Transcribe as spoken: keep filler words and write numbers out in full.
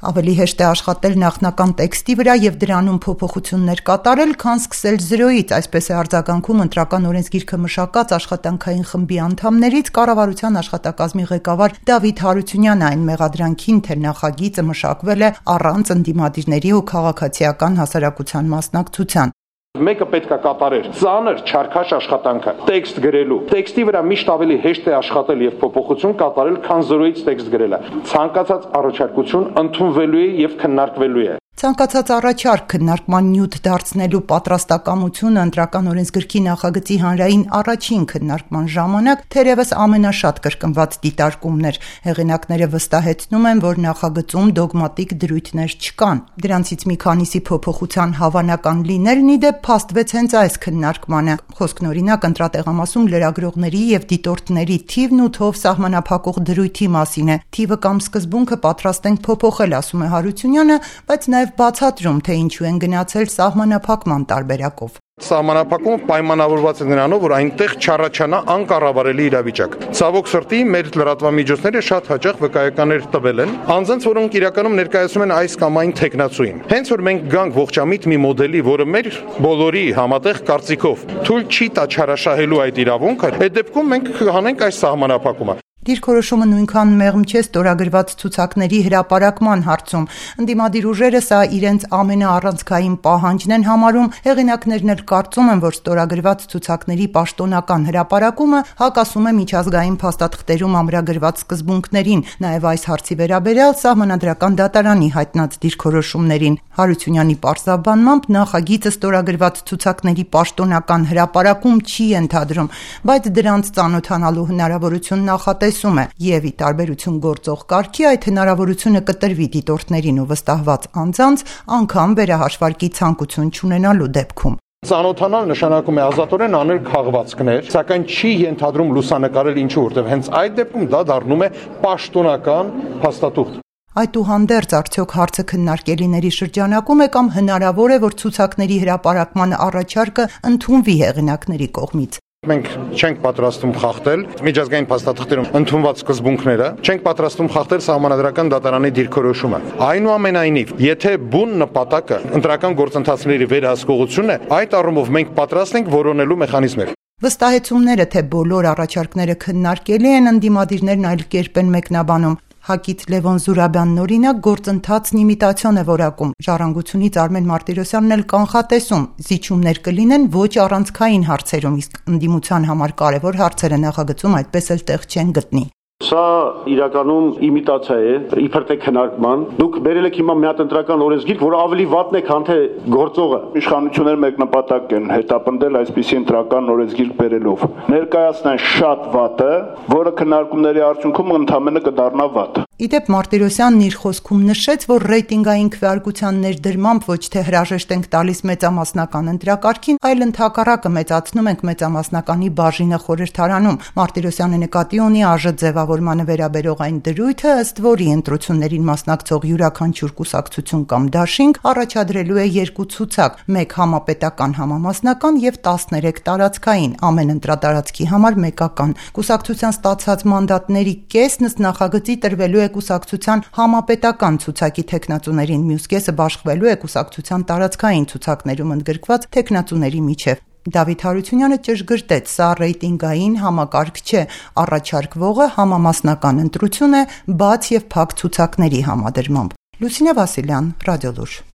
Ավելի հեշտ է աշխատել նախնական տեքստի վրա և դրանում փոփոխություններ կատարել, քան սկսել զրոյից, այսպես է արձագանքում Ընտրական օրենսգիրքը մշակած աշխատանքային խմբի անդամներից կառավարության աշխատակազմի ղեկավար Դավիթ Հարությունյանը, այն մեղադրանքին, թե նախագիծը մշակվել է առանց ընդդիմադիրների ու քաղաքացիական հասարակության մասնակցության։ Մեկը պետք է կատարեր ծանր չարքաշ աշխատանքը տեքստ գրելու տեքստի վրա միշտ ավելի հեշտ է աշխատել եւ փոփոխություն կատարել, քան զրոյից տեքստ գրելը։ Ցանկացած առաջարկություն ընդունվելու է եւ քննարկվելու է։ Ցանկացած առաջարկ քննարկման նյութ դարձնելու պատրաստակամությունը Ընտրական օրենսգրքի նախագծի հանրային առաջին քննարկման ժամանակ թերևս ամենաշատ կրկնված դիտարկումն էր։ Հեղինակները վստահեցնում են, որ նախագծում դոգմատիկ դրույթներ չկան։ Դրանցից մի քանիսի փոփոխության հավանական լինելն ի դեպ փաստվեց հենց այս քննարկմանը։ Խոսքն օրինակ ընտրատեղամասում լրագրողների եւ դիտորդների թիվն ու թով սահմանափակող դրույթի մասին է։ Թիվը կամ սկզբունքը պատրաստ ենք փոփոխել, ասում է Հարությունյանը, բայց նաեւ բացատրում, թե ինչու են գնացել սահմանափակման տարբերակով։ Սահմանափակումը պայմանավորված է նրանով, որ այնտեղ չառաջանա անկառավարելի իրավիճակ։ Ցավոք սրտի, մեր լրատվամիջոցները շատ հաճախ վկայականներ տվել են, անձանց, որոնք իրականում ներկայացնում են այս կամ այն թեկնածուին։ Հենց որ մենք գանք ողջամիտ մի մոդելի, որը մեր բոլորի համատեղ կարծիքով թույլ չի տա չարաշահելու այդ իրավունքը, այդ դեպքում մենք կհանենք այս սահմանափակումը։ Դիրքորոշումը նույնքան մեղմ չէ ստորագրված ցուցակների հրապարակման հարցում։ Ընդդիմադիր ուժերը սա իրենց ամենաառանցքային պահանջն են համարում, հեղինակներն էլ կարծում են, որ ստորագրված ցուցակների պաշտոնական հրապարակումը հակասում է միջազգային փաստաթղթերում ամրագրված սկզբունքներին, նաև այս հարցի վերաբերյալ Սահմանադրական դատարանի հայտնած դիրքորոշումներին։ Հարությունյանի պարզաբանմամբ նախագիծը ստորագրված ցուցակների պաշտոնական հրապարակում չի ենթադրում, բայց դրանց ծանոթանալու հնարավորություն նախատեսվում է եւ ի տարբերություն գործող կարգի այդ հնարավորությունը կտրվի դիտորդներին ու վստահված անձանց անգամ վերահաշվարկի ցանկություն չունենալու դեպքում։ Ծանոթանալ նշանակում է ազատորեն անել քաղվածքներ, սակայն չի ենթադրում լուսանկարել ինչու, որտեղ հենց այդ դեպքում դա դառնում է պաշտոնական փաստաթուղթ։ Այդուհանդերձ արդյոք հարցը քննարկելիների շրջանակում է կամ հնարավոր է, որ ցուցակների հրապարակման առաջարկը ընդունվի հեղինակների կողմից։ Մենք չենք պատրաստում խախտել միջազգային փաստաթղթերում ընդունված սկզբունքները, չենք պատրաստում խախտել Սահմանադրական դատարանի դիրքորոշումը։ Այնուամենայնիվ, եթե բուն նպատակը ընտրական գործընթացների վերահսկողությունն է, այդ առումով մենք պատրաստ ենք որոնելու մեխանիզմեր։ Վստահեցումները, թե բոլոր առաջարկները քննարկելի են, ընդդիմադիրներն այլ կերպ են մեկնաբանում։ Հակից Լևոն Զուրաբյանն օրինակ գործընթացն իմիտացիոն է որակում։ Ժառանգությունից Արմեն Մարտիրոսյանն էլ կանխատեսում, զիջումներ կլինեն ոչ առանցքային հարցերում, իսկ ընդդիմության համար կարևոր հարցերը նախագծում այդպես էլ տեղ չեն գտնի։ Սա իրականում իմիտացիա է, իբր թե քննարկման։ Դուք բերել եք հիմա մի հատ ընտրական օրենսգիրք, որը ավելի վատն է, քան թե գործողը։ Իշխանությունները մեկ նպատակ են հետապնդել այսպիսի ընտրական օրենսգիրք բերելով։ Ներկայացնեն շատ վատը, որը քննարկումների արդյունքում ընդհանրապես կդառնա վատ։ Իդեպ Մարտիրոսյանն իր խոսքում նշեց, որ ռեյտինգային քվեարկության ներդրմամբ ոչ թե հրաժեշտ ենք տալիս մեծամասնական ընտրակարգին, այլ ընդհակառակը մեծացնում ենք մեծամասնականի բաժինը խորհրդարանում։ Մարտիրոսյանը նկատի ունի ԱԺ ձևավորմանը վերաբերող այն դրույթը, ըստ որի ընտրություններին մասնակցող յուրաքանչյուր կուսակցություն կամ դաշինք առաջադրելու է երկու ցուցակ՝ մեկ համապետական համամասնական եւ տասներեք տարածքային, ամեն ընտրատարածքի համար մեկական։ Կուսակցության ստացած մանդատների կեսն ըստ նախագծի տրվելու է կուսակցության համապետական ցուցակի թեկնածուներին, մյուս կեսը բաշխվելու է կուսակցության տարածքային ցուցակներում ընդգրկված թեկնածուների միջև։ Դավիթ Հարությունյանը ճշգրտեց, սա ռեյտինգային համակարգ չէ, առաջարկվողը համամասնական ընտրություն է բաց եւ փակ ցուցակների համադրմամբ։ Լուսինե Վասիլյան, Ռադիոլուր։